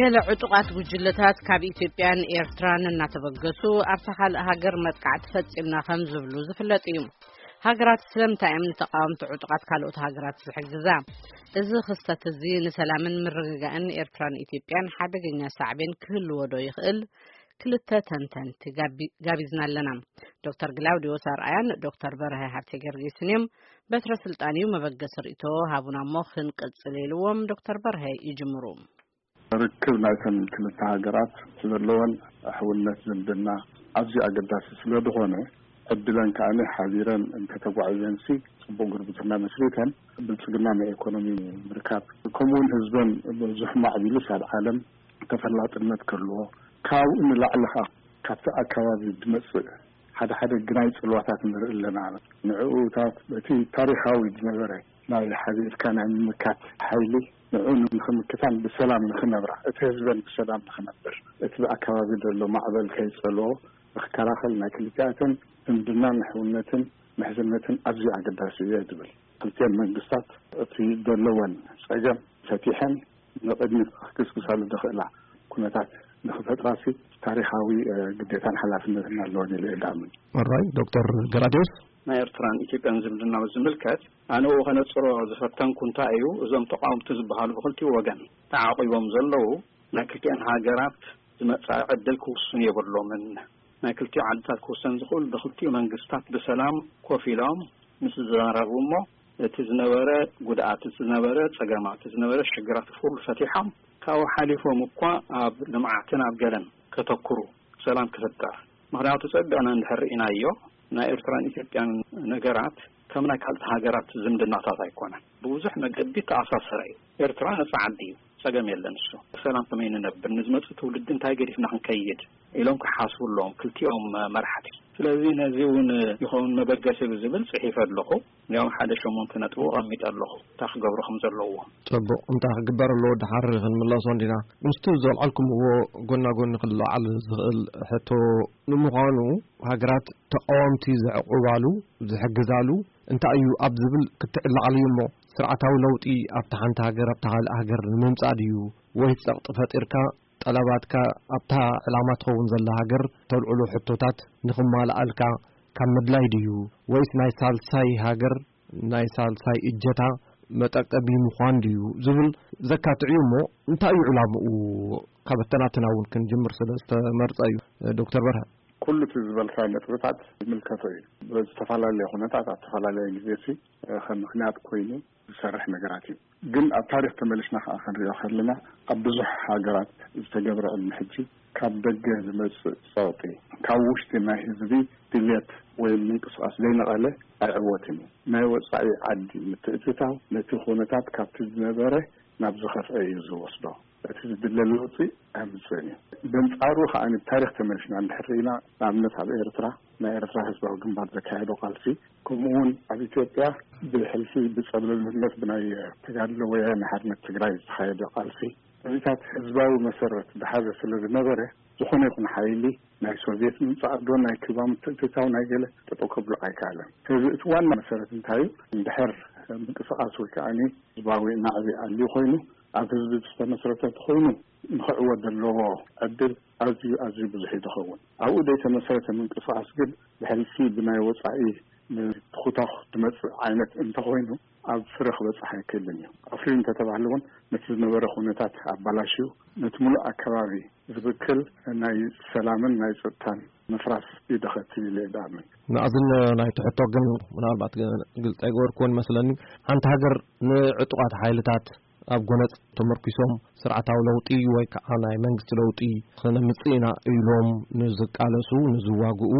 ገለ ዕጡቓት ጉጅለታት ካብ ኢትዮጵያን ኤርትራን እናተበገሱ ኣብታ ካልእ ሃገር መጥቃዕቲ ፈጺምና ከም ዝብሉ ዝፍለጥ እዩ። ሃገራት ስለምንታይ እዮም ንተቓወምቲ ዕጡቓት ካልኦት ሃገራት ዝሕግዛ? እዚ ክስተት እዚ ንሰላምን ምርግጋእን ኤርትራን ኢትዮጵያን ሓደገኛ ሳዕቤን ክህልዎ ዶ ይኽእል? ክልተ ተንተንቲ ጋቢ-፣ ጋቢዝና ኣለና። ዶክተር ግላውዲዮስ ኣርኣያን ዶክተር በርሀ ሃብተ ጊዮርጊስን እዮም። በትረ ስልጣን እዩ፣ መበገሲ ርእይቶ ሃቡና እሞ ክንቅጽል ኢልዎም ዶክተር በርሀ ይጅምሩ። ርክብ ናይተን ክልተ ሃገራት ዘለወን ሕውነት ዝምድና ኣዝዩ ኣገዳሲ ስለ ዝኾነ፣ ዕድለን ከኣ ሓቢረን እንተተጓዒዘንሲ ጽቡቕ ጉርብትና መስሪተን ብልጽግና ናይ ኢኮኖሚ ምርካብ፣ ከምኡውን ህዝበን ብዙሕ ማዕቢሉስ ኣብ ዓለም ተፈላጥነት ክህልዎ፣ ካብኡ ንላዕሊ ኸኣ ካብቲ ኣከባቢ ዝመጽእ ሓደ ሓደ ግናይ ጽልዋታት ንርኢ ኣለና። ንዕኡታት በቲ ታሪኻዊ ዝነበረ ናይ ሓቢርካ ናይ ምምካት ሓይሊ ንዕኡ ንኽምክታን ብሰላም ንኽነብራ፣ እቲ ህዝበን ብሰላም ንኽነብር፣ እቲ ብኣከባቢ ዘሎ ማዕበል ከይጸልዎ ንኽከላኸል ናይ ክልቲኣተን ዝምድናን ሕውነትን ምሕዝነትን ኣዝዩ ኣገዳሲ እዩ ዝብል። ክልቲአን መንግስታት እቲ ዘለወን ጸገም ፈቲሐን ንቕድሚት ክግስግሳሉ ዝኽእላ ኩነታት ንኽፈጥራሲ ታሪኻዊ፣ እ፣ ግዴታን ሓላፍነትን ኣለወን ኢለ እየ ዝኣምን። ኦራይ፣ ዶክተር ገላዲዮስ? ናይ ኤርትራን ኢትዮጵያን ዝምድና ዝምልከት ኣነ ብኡ ከነጽሮ ዝፈተንኩ እንታይ እዩ፣ እዞም ተቃወምቲ ዝበሃሉ ብክልቲኡ ወገን ተዓቂቦም ዘለዉ ናይ ክልቲአን ሃገራት ዝመጻኢ ዕድል ክውስኑ የብሎምን። ናይ ክልቲኡ ዓድታት ክውሰን ዝኽእል ብክልቲኡ መንግስታት ብሰላም ኮፍ ኢሎም ምስ ዝዘራረቡ እሞ እቲ ዝነበረ ጉድኣት፣ እቲ ዝነበረ ጸገማት፣ እቲ ዝነበረ ሽግራት ኩሉ ፈቲሖም ካብኡ ሓሊፎም እኳ ኣብ ልምዓትን ኣብ ገለን ከተኩሩ ሰላም ክፍጠር። ምኽንያቱ ጸቢቕና እንድሕር ርኢናዮ ናይ ኤርትራን ኢትዮጵያን ነገራት ከም ናይ ካልኦት ሃገራት ዝምድናታት ኣይኮነን። ብብዙሕ መገዲ ተኣሳሰረ እዩ። ኤርትራ ነጻ ዓዲ እዩ። ጸገም የለን። እሱ ሰላም ከመይ ንነብር፣ ንዝመጽእ ትውልዲ እንታይ ገዲፍና ክንከይድ ኢሎም ክሓስቡ ኣለዎም ክልቲኦም መራሕቲ። ስለዚ ነዚ እውን ይኸውን መበገሲ ብዝብል ጽሒፈ ኣለኹ። ያው ሓደ ሸሞንተ ነጥቢ ኣቐሚጠ ኣለኹ እንታይ ክገብሩ ከም ዘለዎም። ጽቡቕ፣ እንታይ ክግበር ኣለዎ ደሓር ክንምለሶ እንዲና። ምስቲ ዘልዓልኩምዎ ጎና ጎኒ ክለዓል ዝኽእል ሕቶ፣ ንምዃኑ ሃገራት ተቃወምቲ ዘዕቁባሉ፣ ዝሕግዛሉ እንታይ እዩ ኣብ ዝብል ክትዕላዓሉ እዩ እሞ፣ ስርዓታዊ ለውጢ ኣብታ ሓንቲ ሃገር ኣብታ ካልእ ሃገር ንምምጻእ ድዩ፣ ወይ ጸቕጢ ፈጢርካ ጠለባትካ ኣብታ ዕላማ ትኸውን ዘላ ሃገር ተልዕሎ ሕቶታት ንኽማልኣልካ ካብ ምድላይ ድዩ፣ ወይስ ናይ ሳልሳይ ሃገር ናይ ሳልሳይ እጀታ መጠቀቢ ምዃን ድዩ ዝብል ዘካትዕ እዩ እሞ፣ እንታይ እዩ ዕላምኡ? ካብ ኣተናትና እውን ክንጅምር ስለ ዝተመርጸ እዩ። ዶክተር በርሀ። ኩሉ እቲ ዝበልካዮ ነጥብታት ይምልከቶ እዩ። ብዝተፈላለየ ኩነታት ኣብ ዝተፈላለየ ግዜ ሲ ከም ምኽንያት ኮይኑ ዝሰርሕ ነገራት እዩ። ግን ኣብ ታሪኽ ተመሊስና ከኣ ክንሪኦ ከለና፣ ኣብ ብዙሕ ሃገራት ዝተገብረ ቅድሚ ሕጂ ካብ ደገ ዝመጽእ ጸቕጢ፣ ካብ ውሽጢ ናይ ህዝቢ ድልየት ወይ ምንቅስቓስ ዘይነቐለ ኣይዕወትን እዩ። ናይ ወጻኢ ዓዲ ምትእትታው ነቲ ኩነታት ካብቲ ዝነበረ ናብ ዝኸፍአ እዩ ዝወስዶ። እቲ ዝድለ ለውጢ ኣምፅእን እዩ። በንፃሩ ከዓ ታሪክ ተመልስና እንድሕር ርኢና፣ ንኣብነት ኣብ ኤርትራ ናይ ኤርትራ ህዝባዊ ግንባር ዘካየዶ ቃልሲ፣ ከምኡ እውን ኣብ ኢትዮጵያ ብሕልፊ ብፀብለልነት ብናይ ተጋድሎ ወያነ ሓርነት ትግራይ ዝተኻየደ ቃልሲ፣ እዚታት ህዝባዊ መሰረት ዝሓዘ ስለ ዝነበረ፣ ዝኾነ ይኹን ሓይሊ ናይ ሶቪየት ምምፃእ ዶ ናይ ኩባ ምትእትታው ናይ ገለ ጠጠው ከብሎ ኣይከኣለን። ስለዚ እቲ ዋና መሰረት እንታይ እዩ? እንድሕር ምንቅስቃስ ወይ ከዓ ህዝባዊ ናዕቢ ኣልዩ ኮይኑ ኣብ ህዝቢ ዝተመስረተ ተኾይኑ ንኽዕወት ዘለዎ ዕድል ኣዝዩ ኣዝዩ ብዙሕ እዩ ዝኸውን። ኣብኡ ዘይተመስረተ ምንቅስቃስ ግን ብሕልፊ ብናይ ወፃኢ ንትኹታኹ ዝመፅእ ዓይነት እንተኾይኑ ኣብ ፍረ ክበፅሕ ኣይክእልን እዩ። ኣፍርዩ እንተተባህለ እውን ነቲ ዝነበረ ኩነታት ኣባላሽዩ ነቲ ሙሉእ ኣከባቢ ዝብክል ናይ ሰላምን ናይ ፀጥታን ምፍራስ እዩ ደኸትል ኢለ እየ ዝኣምን። መኣዝን ናይቲ ሕቶ ግን ምናልባት ግልፂ ኣይገበርክዎን መስለኒ። ሓንቲ ሃገር ንዕጡቓት ሓይልታት ኣብ ጎነጽ ተመርኪሶም ስርዓታዊ ለውጢ ወይ ከዓ ናይ መንግስቲ ለውጢ ክነምጽእ ኢና ኢሎም ንዝቃለሱ፣ ንዝዋግኡ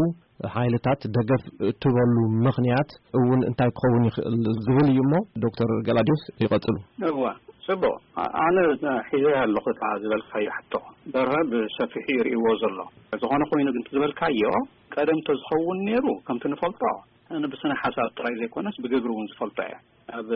ሓይልታት ደገፍ እትበሉ ምኽንያት እውን እንታይ ክኸውን ይኽእል ዝብል እዩ እሞ፣ ዶክተር ገላዲዮስ ይቐጽሉ። እዋ፣ ጽቡቕ። ኣ-፣ ኣነ ሒዘ ኣለኹ እታ ዝበልካዮ ሕቶ። በርሀ ብሰፊሑ ይርእይዎ ዘሎ። ዝኾነ ኮይኑ ግን እቲ ዝበልካዮ ቀደም ተዝኸውን ነይሩ፣ ከምቲ ንፈልጦ፣ ኣነ ብስነ ሓሳብ ጥራይ ዘይኮነስ ብግብሪ እውን ዝፈልጦ እየ። ኣብ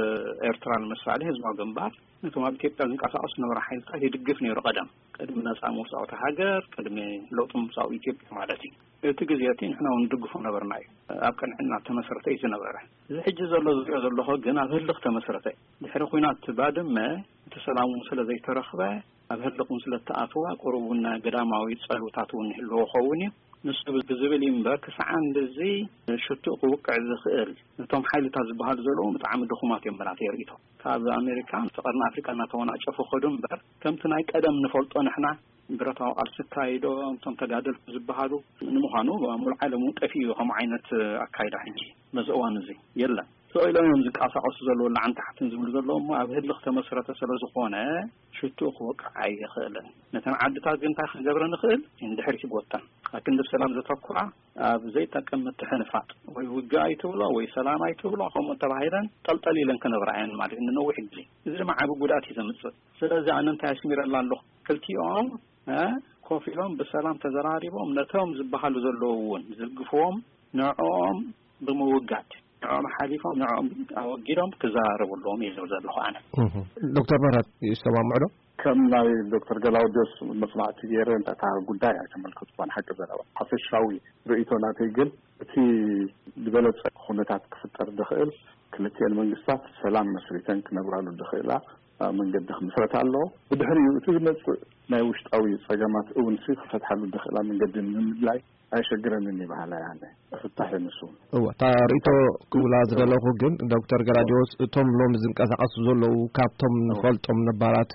ኤርትራ ንምሳሌ ህዝባዊ ግንባር ነቶም ኣብ ኢትዮጵያ ዝንቀሳቐሱ ዝነበሩ ሓይልታት ይድግፍ ነይሩ። ቀደም ቅድሚ ነጻ ምውጻእ እታ ሃገር፣ ቅድሚ ለውጢ ምምጻኡ ኢትዮጵያ ማለት እዩ። እቲ ግዜ እቲ ንሕና እውን ንድግፎ ነበርና እዩ። ኣብ ቅንዕና ተመስረተ እዩ ዝነበረ። እዚ ሕጂ ዘሎ ዝሪኦ ዘለኹ ግን ኣብ ህልኽ ተመስረተ እዩ። ድሕሪ ኲናት ባድመ እቲ ሰላም እውን ስለ ዘይተረኽበ ኣብ ህልቕ እውን ስለ እተኣተዋ፣ ቁሩብ እውን ገዳማዊ ጸልውታት እውን ይህልዎ ኸውን እዩ። ንሱ ብዝብል እዩ እምበር፣ ክሳዕ ክንድዚ ሽቱእ ክውቅዕ ዝኽእል፣ እቶም ሓይልታት ዝበሃሉ ዘለዉ ብጣዕሚ ድኹማት እዮም። መራተይ ርእይቶ፣ ካብ ኣሜሪካ፣ ቀርኒ ኣፍሪቃ እናተወናጨፉ ኸዱ እምበር፣ ከምቲ ናይ ቀደም ንፈልጦ ንሕና ብረታዊ ቃልሲ ኣካይዶም፣ እቶም ተጋደልቲ ዝበሃሉ፣ ንምዃኑ ኣብ ሙሉእ ዓለም እውን ጠፊኡ እዩ። ከምኡ ዓይነት ኣካይዳ ሕጂ በዚ እዋን እዚ የለን። ስቕ ኢሎም እዮም ዝንቀሳቐሱ ዘለዉ፣ ላዕን ታሕትን ዝብሉ ዘለዉ፣ እሞ ኣብ ህልኽ ተመስረተ ስለ ዝኾነ ሽቱኡ ክወቅዕ ኣይኽእልን። ነተን ዓድታት ግን እንታይ ክንገብረ ንኽእል? ንድሕሪት ይጎተን። ኣብ ክንዲ ሰላም ዘተኩራ፣ ኣብ ዘይጠቅም ምትሕንፋጥ፣ ወይ ውግእ ኣይትብሎ ወይ ሰላም ኣይትብሎ፣ ከምኡ ተባሂለን ጠልጠል ኢለን ክነብራ እየን ማለት እዩ፣ ንነዊሕ ግዜ። እዚ ድማ ዓቢ ጉድኣት እዩ ዘምጽእ። ስለዚ ኣነ እንታይ ኣስሚረላ ኣለኹ? ክልቲኦም፣ እ፣ ኮፍ ኢሎም ብሰላም ተዘራሪቦም፣ ነቶም ዝበሃሉ ዘለዉ እውን ዝድግፍዎም፣ ንዕኦም ብምውጋድ፣ ንዕኦም ሓሊፎም፣ ንዕኦም ኣወጊዶም ክዘራረቡ ኣለዎም እየ ዝብል ዘለኹ ኣነ። እህ። ዶክተር ምህረት ይሰማምዑ ዶ? ከም ናይ ዶክተር ገላውዲዮስ መጽናዕቲ ገይረ፣ እንታይ እታ ጉዳይ ኣይተመልከትኩዋን፣ ሓቂ ዘረባ። ሓፈሻዊ ርእይቶ ናተይ ግን፣ እቲ ዝበለጸ ኩነታት ክፍጠር ዝኽእል፣ ክልቲኤን መንግስታት ሰላም መስሪተን ክነብራሉ ዝኽእላ መንገዲ ክምስረት ኣለዎ። ብድሕሪኡ እቲ ዝመጽእ ናይ ውሽጣዊ ጸገማት እውን ሲ ክፈትሓሉ ዝኽእላ መንገዲ ንምድላይ ኣይሸግረንን እዩ በሃላይ ኣነ። ክፍታሕ እዩ ንሱ እውን። እወ፣ እታ ርእይቶ ክብላ ዝደለኹ ግን፣ ዶክተር ገላውዲዮስ፣ እቶም ሎሚ ዝንቀሳቐሱ ዘለዉ፣ ካብቶም እወ። ንፈልጦም ነባራት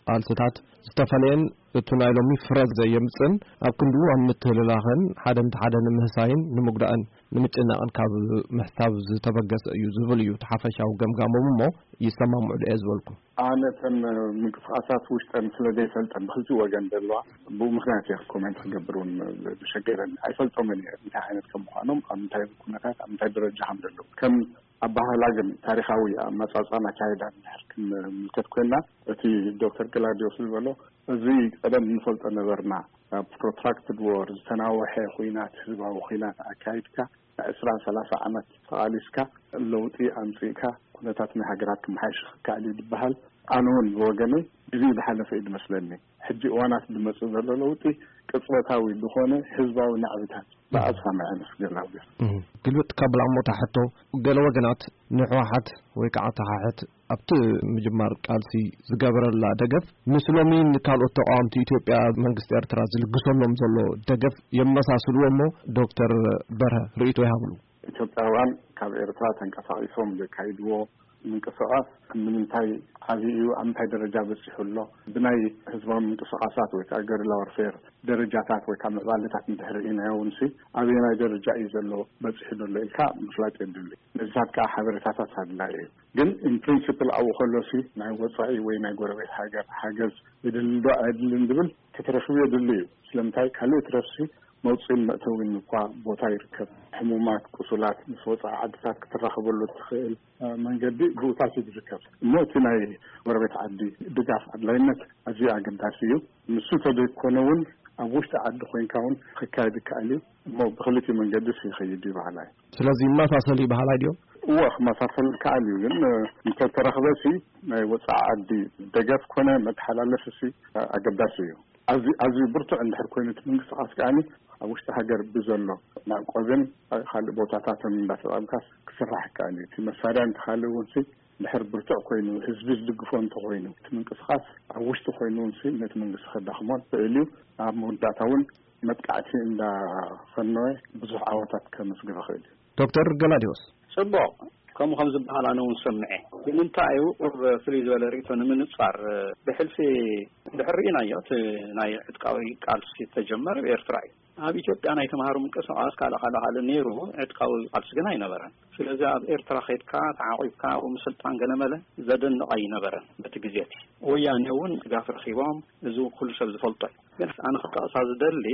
ቃልስታት ዝተፈለየን፣ እቱ ናይ ሎሚ ፍረ ዘየምጽእን፣ ኣብ ክንድኡ ኣብ ምትህልላኽን ሓደ ነቲ ሓደ ንምህሳይን ንምጉዳእን ንምጭናቕን ካብ ምሕሳብ ዝተበገሰ እዩ ዝብል እዩ እቲ ሓፈሻዊ ገምጋሞም። እሞ ይሰማምዑ ዶ እየ ዝበልኩ? ኣነ እተን ምንቅስቃሳት ውሽጠን ስለ ዘይፈልጠን፣ ብክልቲኡ ወገን ዘለዋ፣ ብኡ ምክንያት እየ ኮሜንት ክገብር እውን ዝሸገረኒ። ኣይፈልጦምን እየ እንታይ ዓይነት ከም ምዃኖም፣ ኣብ እንታይ ኩነታት፣ ኣብ እንታይ ደረጃ ከም ዘለዉ። ከም ኣባህላ ግን፣ ታሪኻዊ ኣመጻጽኣን ኣካይዳን እንድሕር ክንምልከት ኮይና፣ እቲ ዶክተር ገላውዲዮስ ዝበሎ፣ እዚ ቀደም ንፈልጦ ነበርና። ኣብ ፕሮትራክትድ ዎር፣ ዝተናወሐ ኹናት፣ ህዝባዊ ኹናት ኣካይድካ፣ ዕስራን ሰላሳ ዓመት ተቓሊስካ፣ ለውጢ ኣምጺእካ፣ ኩነታት ናይ ሃገራት ክመሓየሽ ክከኣል እዩ ዝበሃል፣ ኣነ እውን ብወገነይ ግዜኡ ዝሓለፈ እዩ ዝመስለኒ። ሕጂ እዋናት ዝመጽእ ዘሎ ለውጢ ቅጽበታዊ ዝኾነ ህዝባዊ ናዕብታት ብኣዝኻ መዐነስ ገላውዴስ። እህ፣ ግልብጥ ካብላ እሞ እታ ሕቶ፣ ገለ ወገናት ንህወሓት ወይ ከዓ ተሓሕት ኣብቲ ምጅማር ቃልሲ ዝገበረላ ደገፍ ምስ ሎሚ ንካልኦት ተቃወምቲ ኢትዮጵያ መንግስቲ ኤርትራ ዝልግሰሎም ዘሎ ደገፍ የመሳስልዎ እሞ ዶክተር በርሀ ርእይቶ ይሃብሉ። ኢትዮጵያውያን ካብ ኤርትራ ተንቀሳቒሶም ዘካይድዎ ምንቅስቓስ ንምንታይ ዓብዪ እዩ? ኣብ ምንታይ ደረጃ በፂሑ ኣሎ? ብናይ ህዝባዊ ምንቅስቓሳት ወይ ከዓ ገሪላ ዋርፌር ደረጃታት ወይ ከዓ ምዕባለታት እንድሕር ርኢናዮ እውን ሲ ኣበየናይ ደረጃ እዩ ዘሎ በፂሑ ዘሎ ኢልካ ምፍላጥ የድሊ። ነዚታት ከዓ ሓበሬታታት ኣድላይ እዩ። ግን ኢን ፕሪንሲፕል ኣብኡ ከሎ ሲ ናይ ወፃኢ ወይ ናይ ጎረቤት ሃገር ሓገዝ የድሊ ዶ ኣየድልን ዝብል ክትረኽብ የድሊ እዩ። ስለምንታይ ካልእ ትረፍሲ መውፅኢን መእተዊን እኳ ቦታ ይርከብ። ሕሙማት፣ ቁሱላት ምስ ወፃኢ ዓድታት ክትራኸበሉ እትኽእል መንገዲ ብኡታት እዩ ዝርከብ። እሞ እቲ ናይ ጎረቤት ዓዲ ድጋፍ ኣድላይነት ኣዝዩ ኣገዳሲ እዩ። ንሱ ተዘይኮነ እውን ኣብ ውሽጢ ዓዲ ኮይንካ እውን ክካየድ ይከኣል እዩ። እሞ ብክልቲኡ መንገዲ ሲ ይኸይድ እዩ በሃላይ። ስለዚ ይመሳሰል እዩ በሃላይ ድዮም? እወ፣ ክመሳሰል ይከኣል እዩ። ግን እንተተረኽበ ሲ ናይ ወፃኢ ዓዲ ደገፍ ኮነ መተሓላለፊ ሲ ኣገዳሲ እዩ። ኣዝዩ ኣዝዩ ብርቱዕ እንድሕር ኮይኑ እቲ ምንቅስቃስ ከኣኒ ኣብ ውሽጢ ሃገር ብዘሎ ማዕቆብን ካልእ ቦታታትን እንዳተጣምካስ ክስራሕ ይከኣል እዩ። እቲ መሳርያ እንተሃልዩ እውን ሲ እንድሕር ብርቱዕ ኮይኑ ህዝቢ ዝድግፎ እንተኮይኑ እቲ ምንቅስቃስ ኣብ ውሽጢ ኮይኑ እውን ሲ ነቲ መንግስቲ ከዳኽሞ ይኽእል እዩ። ኣብ መወዳእታ እውን መጥቃዕቲ እንዳፈነወ ብዙሕ ዓወታት ከምስግብ ይኽእል እዩ። ዶክተር ገላዲዮስ። ጽቡቕ፣ ከምኡ ከም ዝበሃል ኣነ እውን ሰምዐ። ግን እንታይ እዩ፣ ቁሩብ ፍልይ ዝበለ ርእይቶ ንምንጻር፣ ብሕልፊ እንድሕር ርኢናዮ፣ እቲ ናይ ዕጥቃዊ ቃልሲ ዝተጀመረ ኣብ ኤርትራ እዩ። ኣብ ኢትዮጵያ ናይ ተምሃሮ ምንቅስቓስ ካልእ ካልእ ካልእ ነይሩ፣ ዕጥቃዊ ቃልሲ ግን ኣይነበረን። ስለዚ ኣብ ኤርትራ ኸይድካ ተዓቒብካ ኣብኡ ምስልጣን ገለመለ ዘደንቕ ኣይነበረን በቲ ግዜ እቲ። ወያኔ እውን ድጋፍ ረኺቦም፣ እዚ ኩሉ ሰብ ዝፈልጦ እዩ። ግን ኣነ ክጠቕሳ ዝደሊ፣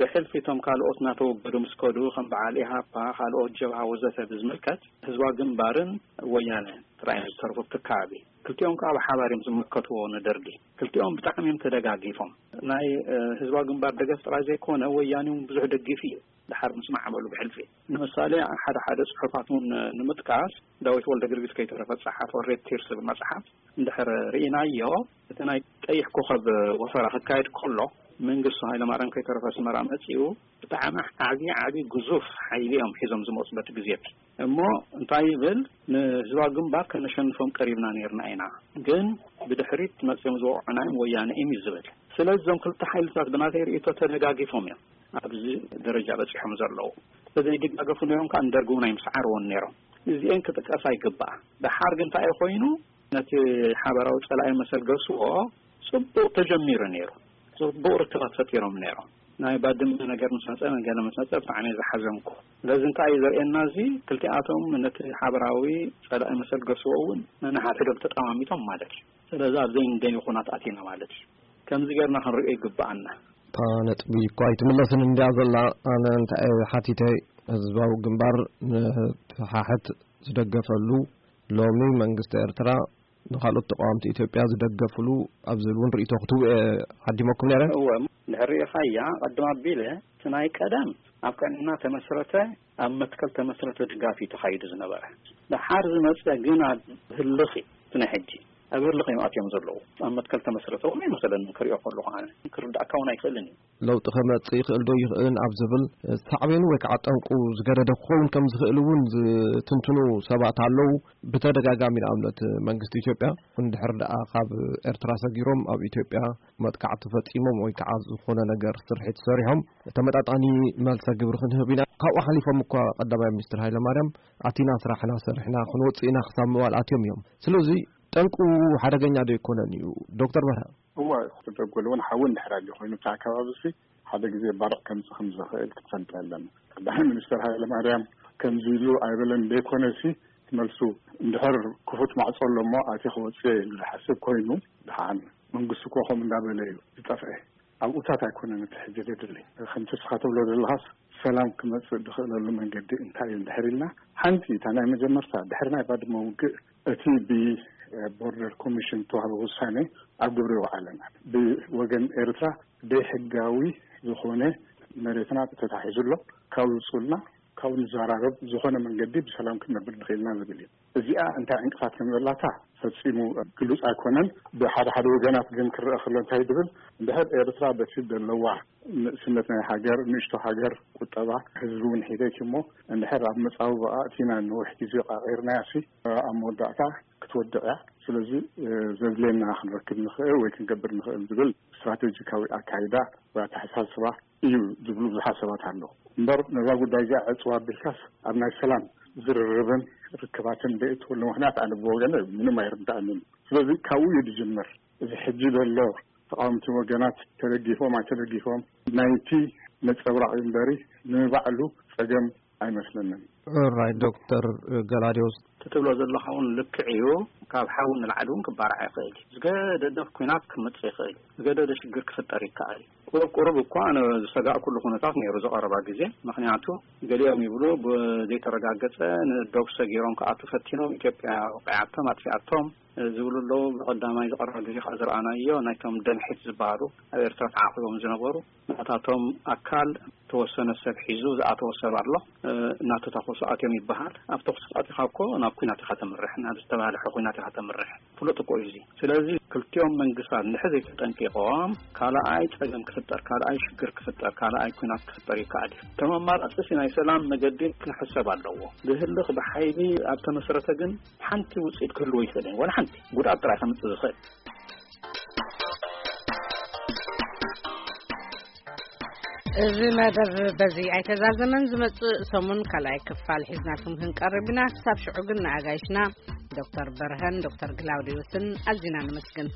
ብሕልፊ እቶም ካልኦት እናተወገዱ ምስ ከዱ፣ ከም በዓል ኢሃፓ፣ ካልኦት ጀብሃ ወዘተ ብዝምልከት፣ ህዝባዊ ግንባርን ወያነ ጥራይ እዮም ዝተረፉ ኣብቲ ከባቢ። ክልቲኦም ከዓ ብሓባር እዮም ዝምልከትዎ ንደርጊ። ክልቲኦም ብጣዕሚ እዮም ተደጋጊፎም። ናይ፣ እ፣ ህዝባዊ ግንባር ደገፍ ጥራይ ዘይኮነ፣ ወያኔ እውን ብዙሕ ደጊፉ እዩ። ድሓር ምስ ማዕበሉ ብሕልፊ። ንምሳሌ፣ ሓደ ሓደ ጽሑፋት እውን ንምጥቃስ፣ ዳዊት ወልደ ጊዮርጊስ ከይተረፈ ዝጸሓፎ ሬድ ቲርስ ዝብል መጽሓፍ እንድሕር ርኢናዮ፣ እቲ ናይ ቀይሕ ኮኸብ ወፈራ ክካየድ ከሎ፣ መንግስቱ ሃይለማርያም ከይተረፈ ኣስመራ መጺኡ፣ ብጣዕሚ ዓብዪ ዓብዪ ግዙፍ ሓይሊ እዮም ሒዞም ዝመጹ በቲ ግዜ እቲ። እሞ እንታይ ይብል? ንህዝባዊ ግንባር ከነሸንፎም ቀሪብና ነይርና ኢና፣ ግን ብድሕሪት መፅዮም ዝወቕዑና እዮም ወያነ እዮም እዩ ዝብል። ስለዚ እዞም ክልተ ሓይልታት ብናተይ ርእይቶ ተደጋጊፎም እዮም ኣብዚ ደረጃ በፂሖም ዘለዉ። ተዘይደጋገፉ ነይሮም ከዓ ንደርጊ እውን ኣይምስዓርዎን ነይሮም። እዚአን ክጥቀሳ ይግባኣ። ደሓር ግን እንታይ ኮይኑ ነቲ ሓበራዊ ፀላኢ መሰል ገስዎ ፅቡቕ ተጀሚሩ ነይሩ። ፅቡቕ ርክባት ፈጢሮም ነይሮም። ናይ ባድመ ነገር ምስ መፀ፣ ገለ ምስ መፀ ብጣዕሚ እየ ዝሓዘንኩ። ስለዚ እንታይ እዩ ዘርእየና እዚ? ክልቲኣቶም ነቲ ሓበራዊ ፀላኢ መሰል ገስዎ እውን ነንሓድሕዶም ተጠማሚቶም ማለት እዩ። ስለዚ ኣብ ዘይንደልዮ ኩናት ኣቲና ማለት እዩ። ከምዚ ጌርና ክንሪኦ ይግብኣና። እታ ነጥቢ እኳ ኣይትምለስን እንድያ ዘላ። ኣነ እንታይ እየ ሓቲተ፣ ህዝባዊ ግንባር ንህወሓት ዝደገፈሉ፣ ሎሚ መንግስቲ ኤርትራ ንኻልኦት ተቃወምቲ ኢትዮጵያ ዝደገፍሉ ኣብ ዝብል እውን ርእይቶ ክትህቡ እየ ዓዲመኩም ነይረ። እወ፣ እንድሕር ርኢኻያ፣ ቅድም ኣቢለ እቲ ናይ ቀደም ኣብ ቅንዕና ተመስረተ፣ ኣብ መትከል ተመስረተ ድጋፍ እዩ ተኻይዱ ዝነበረ። ደሓር ዝመፀ ግን ኣብ ህልኽ እዩ፣ እቲ ናይ ሕጂ ኣብ ህልኽ እዮም ኣትዮም ዘለዉ። ኣብ መትከል ተመስረተ እውን ኣይመሰለንን ክሪኦ ከለኹ፣ ኣነ ክርዳእካ እውን ኣይክእልን እዩ። ለውጢ ከመጽእ ይኽእል ዶ ይኽእልን ኣብ ዝብል ሳዕቤኑ ወይ ከዓ ጠንቁ ዝገደደ ክኸውን ከም ዝኽእል እውን ዝትንትኑ ሰባት ኣለዉ። ብተደጋጋሚ ንኣብነት መንግስቲ ኢትዮጵያ እንድሕር ደኣ ካብ ኤርትራ ሰጊሮም ኣብ ኢትዮጵያ መጥቃዕቲ ፈጺሞም ወይ ከዓ ዝኾነ ነገር ስርሒት ሰሪሖም ተመጣጣኒ መልሰ ግብሪ ክንህብ ኢና። ካብኡ ሓሊፎም እኳ ቀዳማይ ሚኒስትር ሃይለማርያም ኣቲና ስራሕና ሰሪሕና ክንወጽእ ኢና ክሳብ ምባል ኣትዮም እዮም። ስለዚ ጠንቁ ሓደገኛ ዶ ይኮነን እዩ? ዶክተር በርሀ። እዋ፣ ክትደጎል እውን ሓዊ እንድሕር ኣልዩ ኮይኑ፣ እቲ ኣከባቢ እዚ ሓደ ግዜ ባርዕ ከምጽእ ከም ዝኽእል ክትፈልጥ ኣለና። ቀዳማይ ሚኒስትር ሃይለ ማርያም ከምዚ ኢሉ ኣይበለን ደይኮነሲ፣ መልሱ እንድሕር ክፉት ማዕጾ ኣሎ እሞ ኣትየ ክወጽእ ኢሉ ዝሓስብ ኮይኑ፣ ደሓን መንግስቲ እኮ ከምኡ እንዳበለ እዩ ዝጠፍአ። ኣብኡታት ኣይኮነን እቲ ሕጂ ዘድሊ። ከምቲ እስኻ ትብሎ ዘለኻስ፣ ሰላም ክመጽእ ዝኽእለሉ መንገዲ እንታይ እዩ እንድሕር ኢልና፣ ሓንቲ እታ ናይ መጀመርታ ድሕሪ ናይ ባድመ ውግእ እቲ ብቦርደር ኮሚሽን ዝተዋህበ ውሳኔ ኣብ ግብሪ ይውዓል ኣለና። ብወገን ኤርትራ ደይሕጋዊ ዝኾነ መሬትና ተታሒዙ ኣሎ፣ ካብኡ ውጹልና፣ ካብኡ ንዘራረብ፣ ዝኾነ መንገዲ ብሰላም ክንነብር ንኽእልና ዝብል እዩ። እዚኣ እንታይ ዕንቅፋት ከም ዘላታ ፈጺሙ ግሉጽ ኣይኮነን። ብሓደ ሓደ ወገናት ግን ክረአ ከሎ እንታይ ዝብል፣ እንድሕር ኤርትራ በቲ ዘለዋ ንእስነት ናይ ሃገር፣ ንእሽቶ ሃገር፣ ቁጠባ፣ ህዝቢ እውን ሒደት እሞ፣ እንድሕር ኣብ መጻብቦ ኣእቲና ነዊሕ ግዜ ቃቒርናያ ሲ፣ ኣብ መወዳእታ ክትወድቕ እያ። ስለዚ፣ ዘድልየና ክንረክብ ንኽእል ወይ ክንገብር ንኽእል ዝብል ስትራቴጂካዊ ኣካይዳ ወይ ኣተሓሳስባ እዩ ዝብሉ ብዙሓት ሰባት ኣለዉ። እምበር ነዛ ጉዳይ እዚኣ ዕጽዋ ኣቢልካስ ኣብ ናይ ሰላም ዝርርብን ርክባትን ደእትወሉ ምኽንያት ኣነ ብወገነ ምንም ኣይርዳእንን። ስለዚ ካብኡ እዩ ዝጅምር። እዚ ሕጂ ዘሎ ተቃወምቲ ወገናት ተደጊፎም ኣይተደጊፎም ናይቲ ነጸብራቕ እዩ እምበሪ ንባዕሉ ጸገም ኣይመስለንን። ራይ ዶክተር ገላዲዮስ። እቲ ትብሎ ዘለኻ እውን ልክዕ እዩ። ካብ ሓዊ ንላዕሊ እውን ክባራዕ ይኽእል እዩ። ዝገደደ ኲናት ክመጽእ ይኽእል እዩ። ዝገደደ ሽግር ክፍጠር ይከኣል እዩ። ቁሩብ ቁሩብ እኳ ኣነ ዝሰጋእኩሉ ኩነታት ነይሩ ዝቐረባ ግዜ። ምኽንያቱ ገሊኦም ይብሉ ብዘይተረጋገጸ ንዶብ ሰጊሮም ክኣቱ ፈቲኖም ኢትዮጵያ ወቂዓቶም ኣጥፊኣቶም ዝብሉ ኣለዉ። ብቐዳማይ ዝቐረባ ግዜ ከዓ ዝረኣናዮ ናይቶም ደምሒት ዝበሃሉ ኣብ ኤርትራ ተዓቑቦም ዝነበሩ ናታቶም ኣካል ተወሰነ ሰብ ሒዙ ዝኣተወ ሰብ ኣሎ። እ፣ እናተታኮሱ ኣትዮም ይበሃል። ኣብ ተኩሲ ኣቲኻ እኮ ናብ ኲናት ኢኻ ተምርሕ፣ ናብ ዝተባህለሐ ኲናት ኢኻ ተምርሕ። ፍሉጥ እኮ እዩ እዚ። ስለዚ ክልቲኦም መንግስታት እንድሕር ዘይተጠንቂቖም ካልኣይ ጸገም ክፍጠር፣ ካልኣይ ሽግር ክፍጠር፣ ካልኣይ ኲናት ክፍጠር ይከኣል እዩ። እቶም ኣማራጺ ናይ ሰላም መገዲ ክሕሰብ ኣለዎ። ብህልኽ ብሓይሊ ኣብ ተመስረተ ግን ሓንቲ ውጽኢት ክህልዎ ይኽእል እዩ። ዋላ ሓንቲ ጉድኣት ጥራይ ከምጽእ ዝኽእል። እዚ መደብ በዚ ኣይተዛዘመን። ዝመጽእ ሰሙን ካልኣይ ክፋል ሒዝናልኩም ክንቀርብ ኢና። ክሳብ ሽዑ ግን ንኣጋይሽና ዶክተር በርሀን ዶክተር ግላውዲዮስን ኣዚና ነመስግን።